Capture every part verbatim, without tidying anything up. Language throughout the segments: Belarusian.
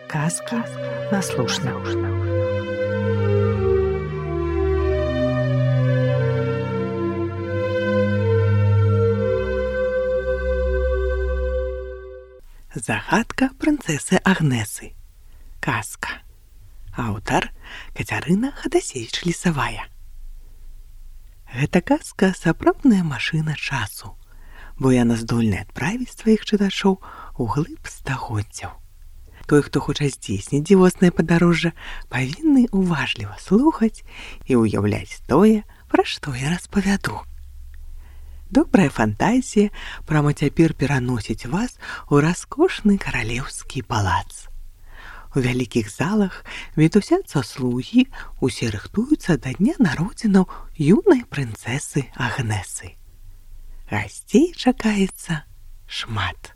Казки на слушна. Загадка прынцэсы Агнесы. Казка. Аўтар Кацярына Хадасевіч-Лісавая. Гэта казка сапраўдная машына часу, бо яна здольная адправіць сваіх чытачоў у глыб стагоддзяў. Той, хто хоча здзейсніць дзівоснае падарожжа, павінны уважліва слухаць і ўяўляць тое, пра што я распавяду. Добрая фантазія прама цяпер пераносіць вас у раскошны каралеўскі палац. У вялікіх залах мітусяцца слугі, усе рыхтуюцца да дня народзінаў юнай прынцэсы Агнесы. Гасцей чакаецца шмат.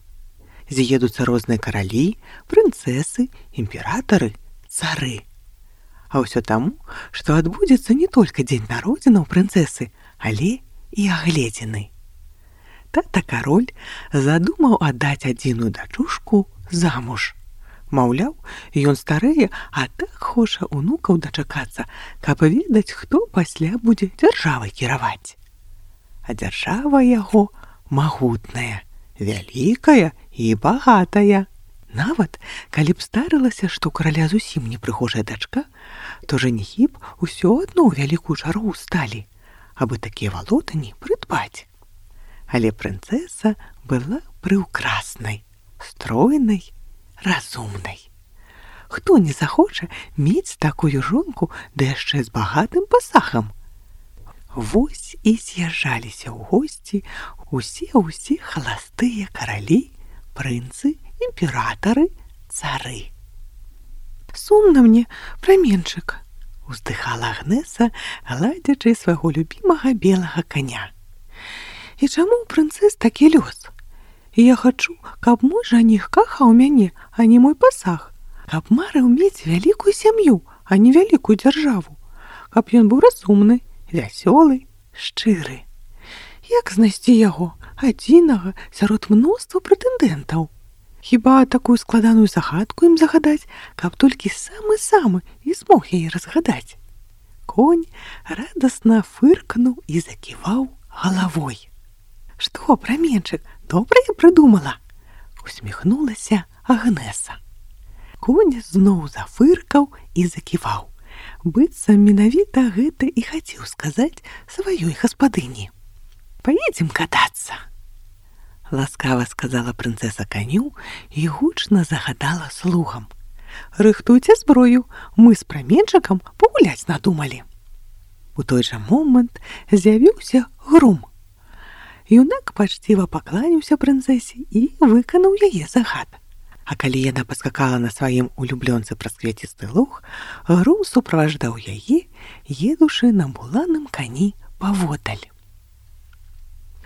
З'едуцца розныя каралі, прынцэсы, імператары, цары. А ўсё таму, што адбудзецца не толькі дзень народзінаў прынцэсы, але і агледзіны. Тата-кароль задумаў аддаць адзіную дачушку замуж. Маўляў, ён старэе, а так хоча унукаў дачакацца, каб ведаць, хто пасля будзе дзяржавай кіраваць. А дзяржава яго магутная, вялікая і багатая. Нават, калі б старылася, што ў караля зусім непрыгожая дачка, то жаніхі б усё адно ў вялікую чаргу сталі, абы такія валотані прыдбаць. Але прынцэса была прыўкраснай, стройнай, разумнай. Хто не захоча мець такую жонку, да яшчэ з багатым пасагам? Вось і з'язджаліся ў госці усе-ўсе халастыя каралі, прынцы, імператары, цары. «Сумна мне, праменчык», — уздыхала Агнеса, гладзячы свайго любімага белага каня. «І чаму ў прынцэс такі лёс? Я хачу, каб мой жаніх кахаў мяне, а не мой пасаг, каб марыў мець вялікую сям'ю, а не вялікую дзяржаву, каб ён быў разумны, вясёлы, шчыры. Як знайсці яго, адзінага сярод мноства прэтэндэнтаў? Хіба такую складаную загадку ім загадаць, каб толькі самы-самы і змог яе разгадаць?» Конь радасна фыркнуў і заківаў галавой. «Што, праменчык, добра я прыдумала?» — усміхнулася Агнеса. Конь зноў зафыркаў і заківаў. Быццам менавіта гэта і хацеў сказаць сваёй гаспадыні. «Паедзем катацца!» — ласкава сказала прынцэса каню і гучна загадала слугам. «Рыхтуйце зброю, мы з праменчыкам пагуляць надумалі». У той жа момант з'явіўся грум. Юнак пачціва пакланяўся прынцэсе і выканаў яе загад. А калі яна паскакала на сваім улюблёнцы праз квяцісты луг, грум суправаждаў яе, едучы на буланым кані паводдаль.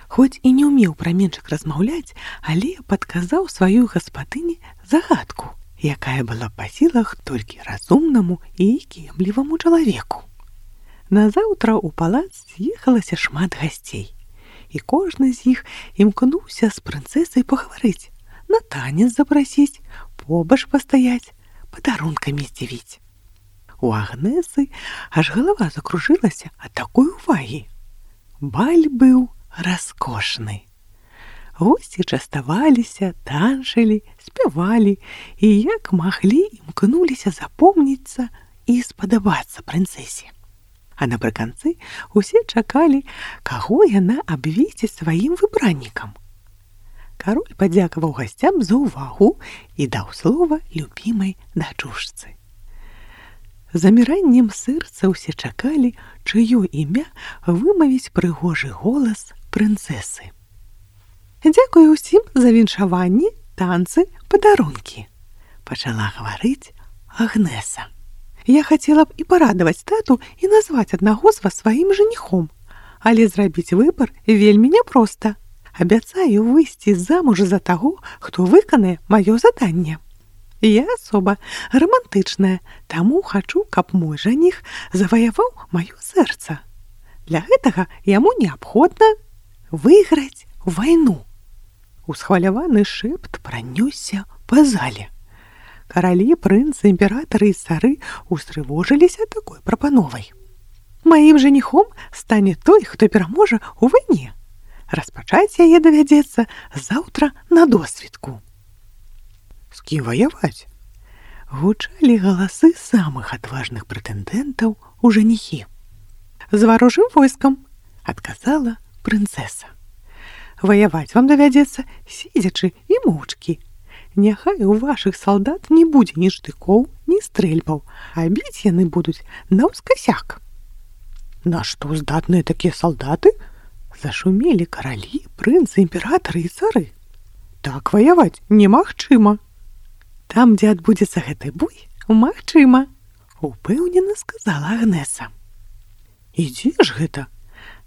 Хоць і не ўмеў праменчык размаўляць, але падказаў сваёй гаспадыні загадку, якая была па сілах толькі разумнаму і кемліваму чалавеку. Назаўтра ў палац з'ехалася шмат гасцей, і кожны з іх імкнуўся з прынцэсай пагаварыць, на танец запрасіць, побач пастаяць, падарункамі здзівіць. У Агнесы аж галава закружылася ад такой увагі. Баль быў раскошны. Госці частаваліся, танчылі, спявалі і як маглі імкнуліся запомніцца і спадабацца прынцэсе. А напрыканцы усе чакалі, каго яна абвесціць сваім выбраннікам. Кароль падзякаваў гасцям за ўвагу і даў слова любімай дачушцы. Заміраннем сэрца ўсе чакалі, чыё імя вымавіць прыгожы голас прынцэсы. «Дзякую ўсім за віншаванні, танцы, падарункі», — пачала гаварыць Агнеса. «Я хацела б і парадаваць тату і назваць аднаго з вас сваім жаніхом, але зрабіць выбар вельмі няпроста. Абяцаю выйсці замуж за таго, хто выканае маё заданне. Я асоба романтычная, таму хачу, каб мой жаніх заваяваў маё сэрца. Для гэтага яму неабходна выйграць вайну». Усхваляваны шэпт пранёсся па зале. Каралі, прынцы, імператары і цары устрывожыліся такой прапановай. Маім жаніхом стане той, хто пераможа ў вайне. Распачаць яе давядзецца заўтра на досвідку. З кім ваяваць? Гучалі галасы самых адважных прэтэндэнтаў у жаніхі. З варожым войскам, адказала прынцэса. Ваяваць вам давядзецца сидзячы і моўчкі. Няхай у вашых салдат не будзе ні штыкоў, ні стрэльбаў, а біць яны будуць наўскасяк. На што здатныя такія салдаты? Зашумелі каралі, прынцы, імператары і цары. Так ваяваць немагчыма. Там, дзе адбудзецца гэты бой, магчыма, упэўнена сказала Агнеса. І дзе ж гэта?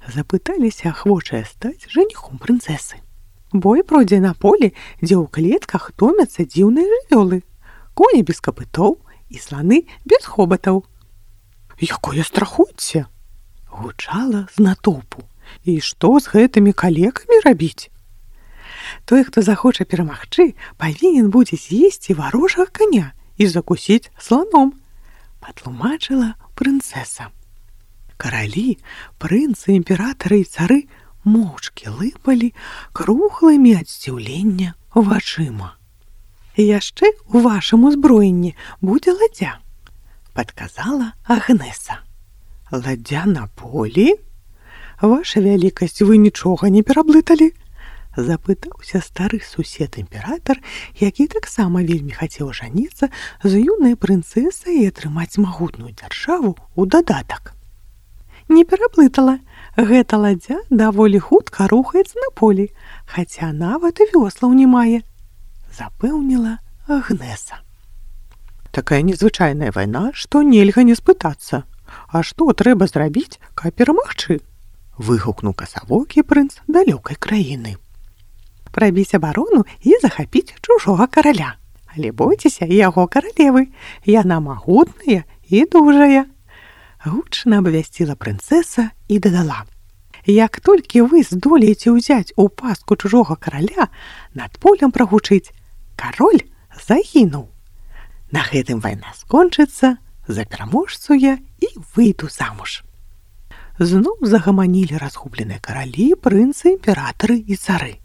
Запыталіся ахвочая стаць жаніхом прынцэсы. Бой пройдзе на полі, дзе ў клетках томяцца дзіўныя жывёлы, коні без капытоў і сланы без хобатаў. Якое страхоцце! Гучала з натоўпу. І што з гэтымі калекамі рабіць? Той, хто захоча перамагчы, павінен будзе з'есці варожага каня і закусіць сланом, патлумачыла прынцэса. Каралі, прынцы, імператары і цары моўчкі лыпалі круглымі ад здзіўлення вачыма. Яшчэ ў вашым узброенні будзе ладдзя, падказала Агнеса. Ладдзя на полі? Ваша вялікасць, вы нічога не пераблыталі? Запытаўся стары сусед-імператар, які таксама вельмі хацеў жаніцца з юнай прынцэсай і атрымаць магутную дзяржаву ў дадатак. Не пераблытала. Гэта ладдзя даволі хутка рухаецца на полі, хаця нават і вёслаў не мае, запэўніла Агнеса. Такая незвычайная вайна, што нельга не спытацца. А што трэба зрабіць, каб перамагчы? Выгукнуў касавокі прынц далёкай краіны. Прабіць абарону і захапіць чужога караля. Але бойцеся яго каралевы, яна магутная і дужая. Гучна абвясціла прынцэса і дадала. Як толькі вы здолееце ўзяць у пастку чужога караля, над полем прагучыць «Кароль загінуў». На гэтым вайна скончыцца, за пераможцу я і выйду замуж. Зноў загаманілі разгубленыя каралі, прынцы, імператары і цары.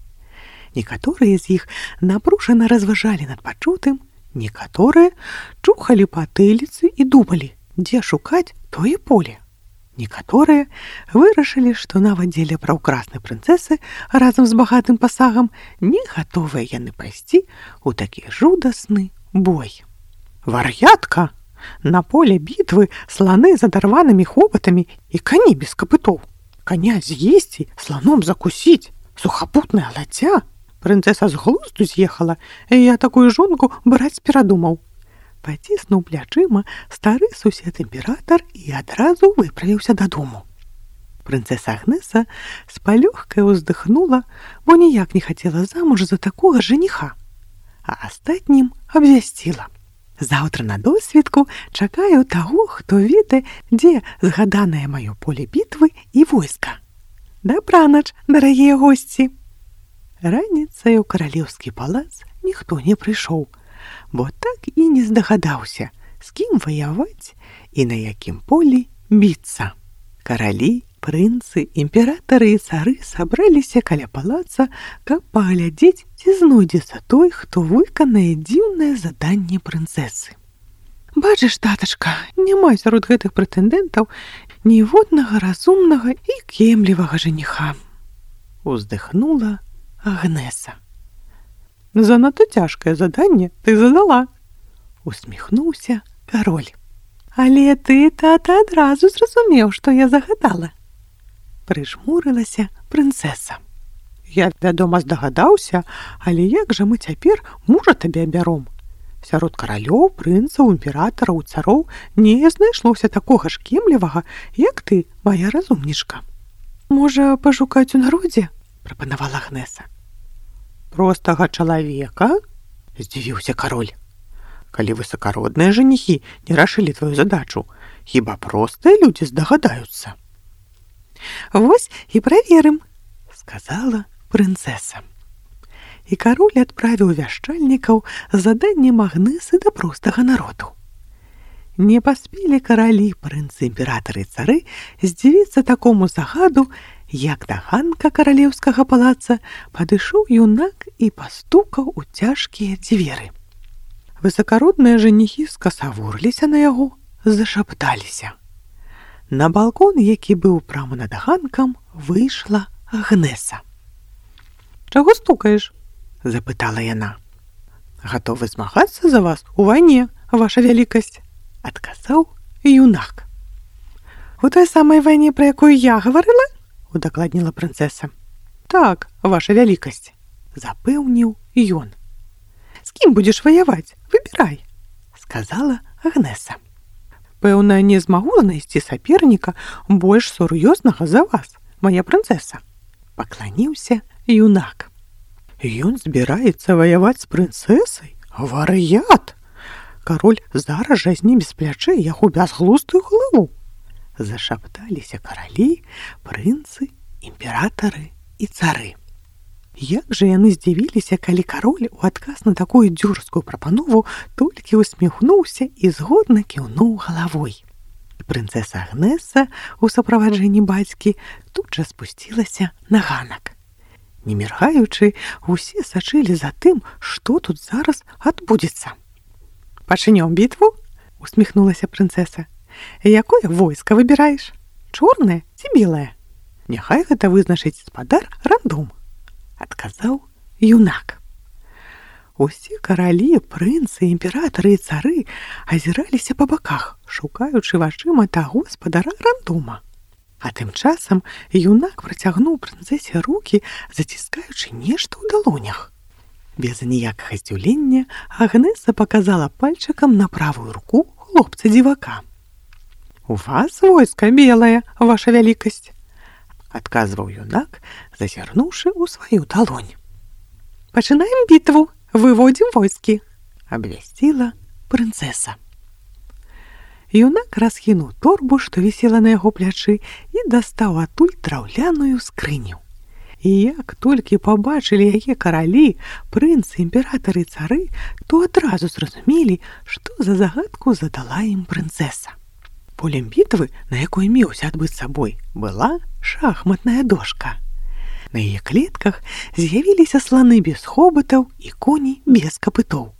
Некаторыя з іх напружана разважалі над пачутым, некаторыя чухалі патыліцы і думалі, дзе шукаць тое поле. Некаторыя вырашылі, што нават дзеля праўкраснай прынцэсы разам з багатым пасагам не гатовыя яны пайсці ў такі жудасны бой. Вар'ятка! На поле бітвы сланы з адарванымі хобатамі і кані без капытоў. Каня з'есці, сланом закусіць, сухапутная ладдзя. Прынцэса з глузду з'ехала, і я такую жонку браць перадумаў. Паціснуў плячыма стары сусед-імператар і адразу выправіўся дадому. Прынцэса Агнеса з палёгкай уздыхнула, бо ніяк не хацела замуж за такога жаніха, а астатнім абвясціла. Заўтра на досвідку чакаю таго, хто ведае, дзе згаданае маё поле бітвы і войска. Дабранач, дарагія госці! Раніцай у каралеўскі палац ніхто не прыйшоў, бо так і не здагадаўся, з кім ваяваць і на якім полі біцца. Каралі, прынцы, імператары і цары сабраліся каля палаца, каб паглядзець, ці знойдзецца той, хто выканае дзіўнае заданне прынцэсы. Бачыш, татачка, няма сярод гэтых прэтэндэнтаў ніводнага разумнага і кемлівага жаніха. Уздыхнула Агнеса. Занадта цяжкае заданне ты задала, усміхнуўся кароль. Але ты, тата, адразу зразумеў, што я загадала. Прыжмурылася прынцэса. Я, вядома, здагадаўся, але як жа мы цяпер мужа табе абяром? Сярод каралёў, прынцаў, імператараў, цароў не знайшлося такога ж кемлівага, як ты, мая разумнічка. Можа, пашукаць у народзе? Прапанавала Агнеса. Простага чалавека? Здзівіўся кароль. Калі высакародныя жаніхі не рашылі тваю задачу, хіба простыя людзі здагадаюцца? Вось і праверым, сказала прынцэса. і кароль адправіў вяшчальнікаў з заданнем Агнесы да простага народу. Не паспелі каралі, прынцы, імператары і цары здзівіцца такому загаду, як да ганка каралеўскага палаца падышоў юнак і пастукаў у цяжкія дзверы. Высакародныя жаніхі скасавурыліся на яго, зашапталіся. На балкон, які быў прама над ганкам, выйшла Агнеса. «Чаго стукаеш?» – запытала яна. «Гатовы змагацца за вас у вайне, ваша вялікасць», – адказаў юнак. «У той самай вайне, пра якую я гаварыла?» – удакладніла прынцэса. «Так, ваша вялікасць», – запэўніў ён. «З кім будзеш ваяваць? Выбірай», – сказала Агнеса. «Пэўна, не змагу знайсці саперніка больш сур'ёзнага за вас, моя прынцэса», – пакланіўся юнак. «Ён збіраецца ваяваць з прынцэсай? Вар'ят! Кароль зараз жа зніме з плячэй яго бязглуздую галаву!» Зашапталіся каралі, прынцы, імператары і цары. Як жа яны здзівіліся, калі кароль у адказ на такую дзюрскую прапанову толькі усміхнуўся і згодна кіўнуў галавой. Прынцэса Агнеса у суправаджэнні бацькі тут жа спусцілася на ганак. Не міргаючы, усе сачылі за тым, што тут зараз адбудзецца. «Пачнём бітву?» – усміхнулася прынцэса. «Якое войска выбіраеш? Чорнае ці белае? Няхай гэта вызначыць спадар рандом», – адказаў юнак. Усе каралі, прынцы, імператары і цары азіраліся па баках, шукаючы вачыма таго спадара рандома. А тым часам юнак працягнуў прынцэсе рукі, заціскаючы нешта ў далонях. Без ніякага здзіўлення Агнеса паказала пальчыкам на правую руку хлопца-дзівака. «У вас войска белае, ваша вялікасць», – адказваў юнак, зазірнуўшы ў сваю далонь. «Пачынаем бітву, выводзім войскі», – абвясціла прынцэса. Юнак расхінуў торбу, што вісела на яго плячы, і дастаў адтуль драўляную скрыню. І як толькі пабачылі яе каралі, прынцы, імператары і цары, то адразу зразумелі, што за загадку задала ім прынцэса. Полем бітвы, на якой меўся адбыцца бой, была шахматная дошка. На яе клетках з'явіліся сланы без хобатаў і коні без капытоў.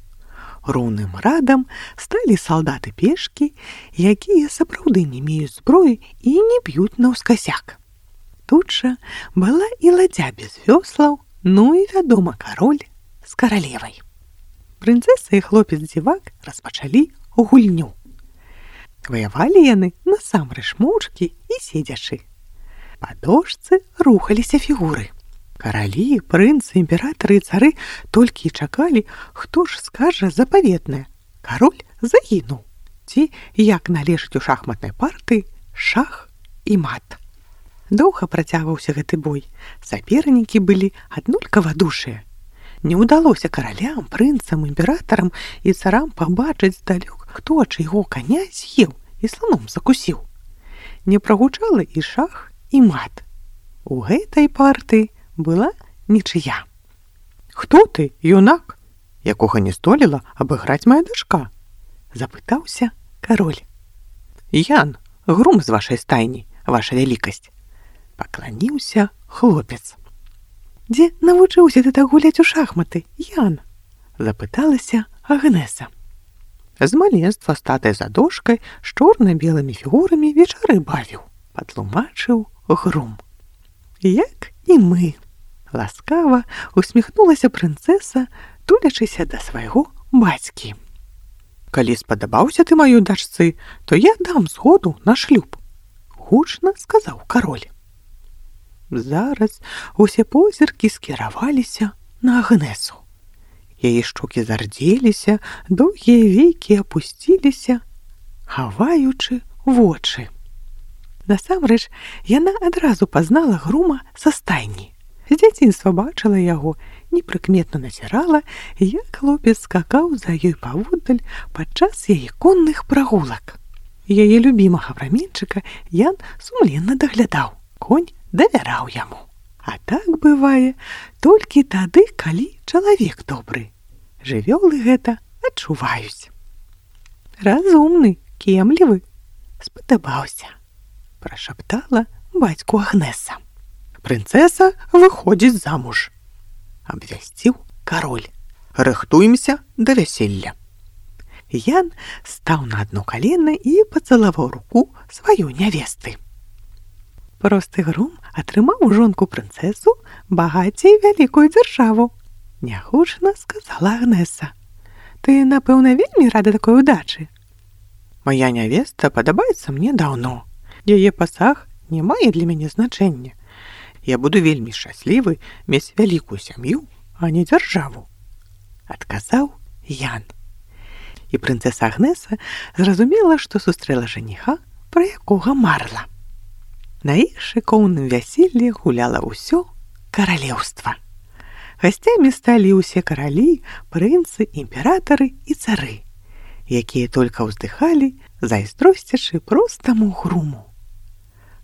Роўным радам сталі салдаты-пешкі, якія сапраўды не меюць зброі і не б'юць наўскасяк. Тут жа была і ладдзя без вёслаў, ну і, вядома, кароль з каралевай. Прынцэса і хлопец-дзівак распачалі гульню. Ваявалі яны насамрэч моўчкі і седзячы. Па дошцы рухаліся фігуры. Каралі, прынцы, імператары і цары толькі і чакалі, хто ж скажа запаветнае. Кароль загінуў. Ці, як належыць у шахматнай партыі, шах і мат. Доўга працягваўся гэты бой. Сапернікі былі аднолькава душыя. Не ўдалося каралям, прынцам, імператарам і царам пабачыць здалёк, хто чыйго каня з'еў і сланом закусіў. Не прагучала і шах, і мат. У гэтай партыі была нічыя. «Хто ты, юнак, якога не здолела абыграць мая дачка?» – запытаўся кароль. «Ян, грум з вашай стайні, ваша вялікасць», – пакланіўся хлопец. «Дзе навучыўся ты так гуляць у шахматы, Ян?» – запыталася Агнеса. «З маленства статай за дошкай з чорна-белымі фігурамі вечары бавіў», – патлумачыў грум. «Як і мы», – ласкава усміхнулася прынцэса, тулячыся да свайго бацькі. «Калі спадабаўся ты маёй дачцы, то я дам згоду на шлюб», – гучна сказаў кароль. Зараз усе позіркі скіраваліся на Агнесу. Яе шчокі зардзеліся, доўгія векі апусціліся, хаваючы вочы. Насамрэч, яна адразу пазнала грума са стайні. З дзяцінства бачыла яго, непрыкметна назірала, як хлопец скакаў за ёй паводдаль падчас яе конных прагулак. Яе любімага праменчыка Ян сумленна даглядаў. Конь давяраў яму. А так бывае толькі тады, калі чалавек добры. Жывёлы гэта адчуваюць. Разумны, кемлівы, спадабаўся, прашаптала бацьку Агнеса. Прынцэса выходзіць замуж, абвясціў кароль. Рыхтуемся да вяселля. Ян стаў на адно калена і пацалаваў руку сваёй нявесты. Просты грум атрымаў у жонку прынцэсу багацей вялікую дзяржаву. Нягучна сказала Агнеса. Ты, напэўна, вельмі рада такой удачы. Мая нявеста падабаецца мне даўно. Яе пасаг не мае для мяне значэння. Я буду вельмі шчаслівы мець вялікую сям'ю, а не дзяржаву, адказаў Ян. І прынцэса Агнеса зразумела, што сустрэла жаніха, пра якога марыла. На іх шыкоўным вяселлі гуляла ўсё каралеўства. Гасцямі сталі ўсе каралі, прынцы, імператары і цары, якія толькі ўздыхалі, зайздросцячы простаму груму.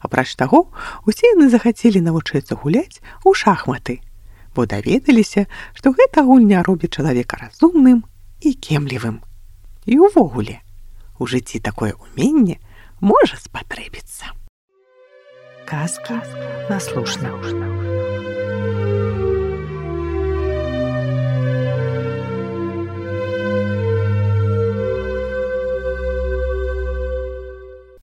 Апроч таго, усе яны захацелі навучыцца гуляць у шахматы, бо даведаліся, што гэта гульня робіць чалавека разумным і кемлівым. І ўвогуле, у жыцці такое ўменне можа спатрэбіцца. Казка наслушна.